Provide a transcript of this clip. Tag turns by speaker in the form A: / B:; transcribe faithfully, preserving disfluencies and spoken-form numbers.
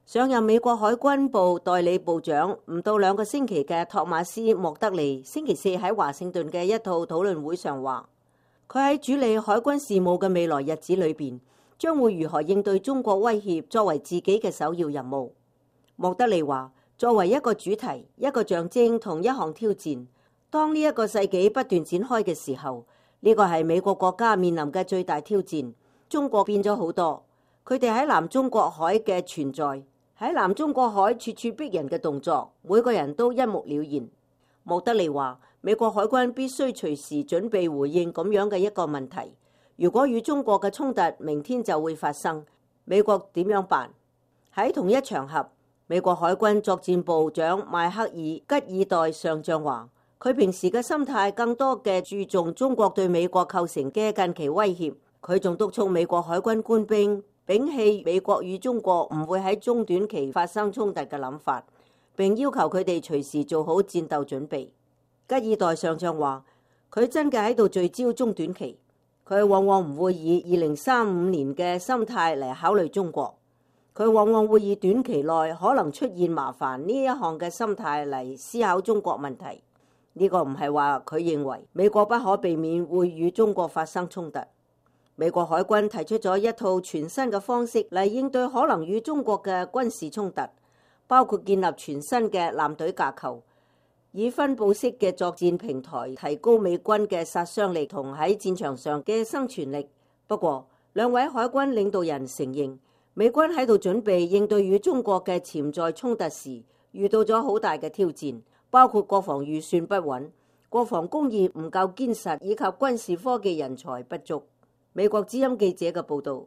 A: 上任美國海軍部代理部長唔到兩個星期嘅托馬斯莫德利，星期四喺華盛頓嘅一套討論會上話，佢喺處理海軍事務嘅未來日子裏邊，將會如何應對中國威脅作為自己嘅首要任務。莫德利話，作為一個主題、一個象徵同一項挑戰，當呢一個世紀不斷展開嘅時候，呢個係美國國家面臨嘅最大挑戰。中國變咗好多，佢哋喺南中國海嘅存在，喺南中國海處處逼人嘅動作，每個人都一目了然。莫德利話，美國海軍必須隨時準備回應咁樣嘅一個問題，如果與中國嘅衝突明天就會發生，美國點樣辦？喺同一場合，美國海軍作戰部長邁克爾吉爾代上將話，佢平時嘅心態更多嘅注重中國對美國構成嘅近期威脅。佢仲督促美國海軍官兵摒棄美國與中國唔會喺中短期發生衝突嘅諗法，並要求佢哋隨時做好戰鬥準備。吉爾代上將話，佢真嘅喺度聚焦中短期，佢往往唔會以二零三五年嘅心態嚟考慮中國，佢往往會以短期內可能出現麻煩呢一項嘅心態嚟思考中國問題。呢個唔係話佢認為美國不可避免會與中國發生衝突。美國海軍提出咗一套全新嘅方式嚟應對可能與中國嘅軍事衝突，包括建立全新嘅艦隊架構，以分佈式嘅作戰平台提高美軍嘅殺傷力同喺戰場上嘅生存力。不過，兩位海軍領導人承認，美軍喺度準備應對與中國嘅潛在衝突時，遇到咗好大嘅挑戰，包括國防預算不穩、國防工業唔夠堅實以及軍事科技人才不足。美國之音記者嘅報道。